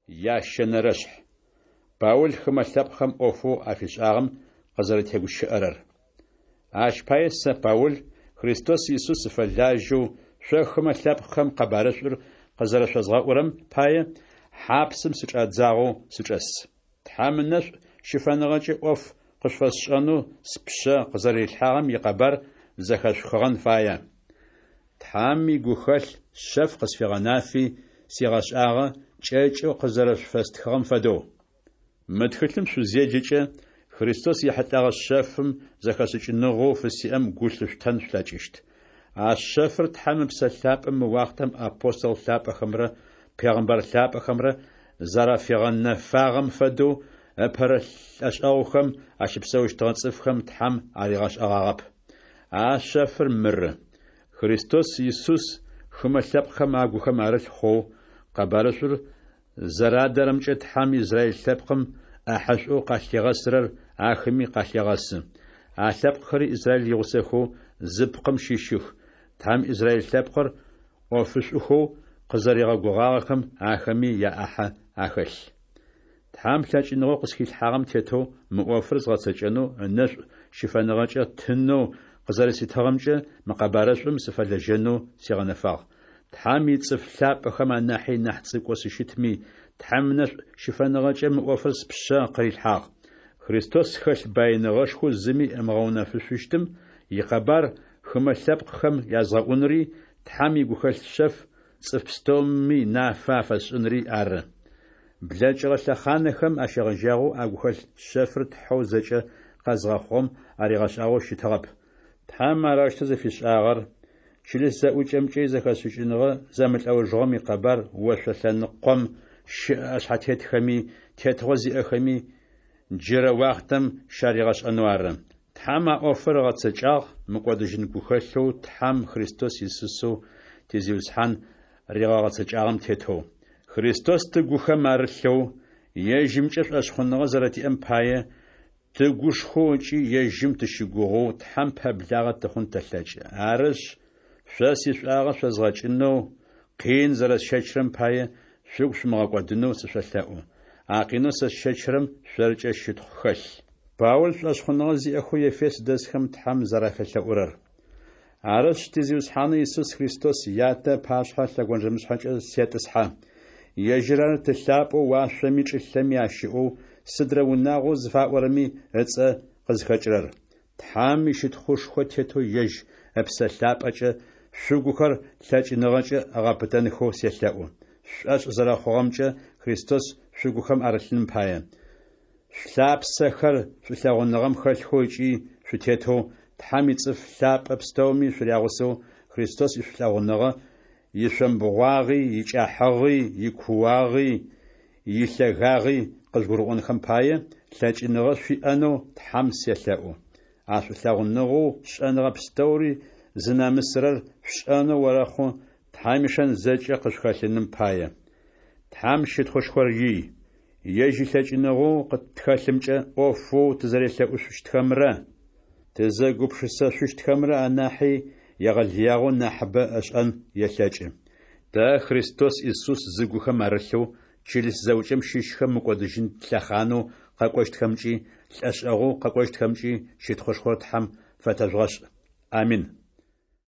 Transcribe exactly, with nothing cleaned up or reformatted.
Ящэнэрэшъхь. Паул хымэ лъэпкъхэм ӏофэу афишӏагъэм къызэрэтегущыӏэрэр. Ащ пае сэ, Паул, Христос Исус сыфэлажьэу, шъо хымэ лъэпкъхэм къэбарышӏур къызэрэшъозгъэӏурэм пае, хьапсым сычӏадзагъэу сычӏэс. Тхьэм ынэшӏу щыфэныгъэкӏэ ӏоф къышъуфэсшӏэнэу спшъэ къызэрэрилъхьагъэм икъэбар зэхэшъухыгъэн фае. Тхьэм игухэлъ шъэф къысфигъэнафи сигъэшӏагъэ, кӏэкӏэу къызэрэшъуфэстхыгъэм фэдэу. Мы тхылъым шъузеджэкӏэ, Христос ехьылӏэгъэ шъэфым зэхэшӏыкӏыныгъэу фысиӏэм гу лъышъутэн шъулъэкӏыщт. А шъэфыр Тхьэм Ыпсэ Лъапӏэ мы уахътэм апостол лъапӏэхэмрэ пегъымбар лъапӏэхэмрэ зэрафигъэнэфагъэм фэдэу ыпэрэ лӏэшӏэгъухэм ащыпсэущтыгъэ цӏыфхэм Тхьэм аригъэшӏэгъагъэп. А шъэфыр мыры: Христос Исус хымэ лъэпкъхэм агухэм арылъ хъоу, къэбарышӏур зэрадэрэмкӏэ Тхьэм Израиль лъэпкъым ӏахьэшӏоу къалъигъэсырэр ахэми къалъегъэсы. А лъэпкъхэри Израиль игъусэхэу зы пкъым щыщых, Тхьэм Израиль лъэпкъыр ӏофышӏухэу къызэригъэгугъагъэхэм ахэми яӏахьэ ахэлъ. Тхьэм лъэкӏыныгъэу къысхилъхьагъэм тетэу мы ӏофыр згъэцэкӏэнэу ынэшӏу щыфэныгъэкӏэ тынэу къызэрэситыгъэмкӏэ мы къэбарышӏум сыфэлэжьэнэу сигъэнэфагъ. Тхьэм ицӏыф лъапӏэхэм анахьи нахь цӏыкӏоу сыщытми, Тхьэм ынэшӏу щыфэныгъэкӏэ мы ӏофыр спшъэ къырилъхьагъ. Христос хэлъ баиныгъэшхоу зыми ымыгъэунэфышъущтым икъэбар хымэ лъэпкъхэм язгъэӏунри, Тхьэм игухэлъ шъэф цӏыф пстэуми нафэ афэсшӏынри ары. Блэкӏыгъэ лъэхъанэхэм ащегъэжьагъэу а гухэлъ шъэфыр Тхьэу зэкӏэ къэзгъэхъугъэм аригъэшӏагъэу щытыгъэп. Тхьэм арэущтэу зыфишӏагъэр чылыс зэӏукӏэмкӏэ изэхэшӏыкӏыныгъэ зэмылӏэужыгъом икъэбар ошъо лъэныкъом щыӏэ ӏэшъхьэтетхэми тетыгъо зиӏэхэми джырэ уахътэм щаригъэшӏэнэу ары. Тхьэм а ӏофыр ыгъэцэкӏагъ мыкӏодыжьын гухэлъэу Тхьэм Христос Исусэу ти Зиусхьан ригъэгъэцэкӏагъэм тетэу. Христос тыгухэм арылъэу, ежьымкӏэ шӏошъхъуныгъэ зэрэтиӏэм пае, тыгушхоу ыкӏи ежьым тыщыгугъэу Тхьэм пэблагъэ тыхъун тэлъэкӏы. Арышъ, шъо сишӏуагъэ шъозгъэкӏынэу къин зэрэсщэчырэм пае шъугу шъумыгъэкӏодынэу сышъолъэӏу. А къинэу сэ сщэчырэм шъоркӏэ щытхъу хэлъ. Паул шӏошъхъуныгъэ зиӏэхэу Ефес дэсхэм Тхьэм зэрафелъэӏурэр. Арышъ, ти Зиусхьанэу Исус Христос Ятэ ыпашъхьэ лъэгонджэмышъхьэкӏэ сетӏысхьэ. Ежьыр ары Ты лъапӏэу уашъоми чӏылъэми ащыӏэу сыдрэ унагъоу зыфаӏорэми ыцӏэ къызхэкӏырэр. Тхьэм ищытхъушхо тетэу ежь Ыпсэ Лъапӏэкӏэ шъугухэр лъэкӏыныгъэкӏэ ыгъэпытэнхэу селъэӏу. Шъушӏошъ зэрэхъугъэмкӏэ Христос шъугухэм арылъыным пае. Шъулъапсэхэр шӏулъэгъуныгъэм хэлъхэу ыкӏи шъутетэу, Тхьэм ицӏыф лъапӏэ пстэуми шъурягъусэу Христос ишӏулъэгъуныгъэ ишъомбгъуагъи, икӏыхьагъи, икууагъи, илъэгагъи къыжъугурыӏонхэм пае, лъэкӏыныгъэ шъуиӏэнэу Тхьэм селъэӏу. А шӏулъэгъуныгъэу шӏэныгъэ пстэури зынэмысырэр шъушӏэнэу орэхъу Тхьэм ишэн зэкӏэ къышъухэлъыным пае. Тхьэм щытхъушхор ий! Ежь илъэкӏыныгъэу къытхэлъымкӏэ ӏофэу тызэрелъэӏушъущтхэмрэ тызэгупшысэшъущтхэмрэ анахьи егъэлыягъэу нахьыбэ ышӏэн елъэкӏы. Тэ, Христос Исус зыгухэм арылъэу, чылыс зэӏукӏэм щыщхэм мыкӏодыжьын лъэхъанэу къэкӏощтхэмкӏи лӏэшӏэгъоу къэкӏощтхэмкӏи щытхъушхор Тхьэм фэтэжъугъэшӏ. Амин.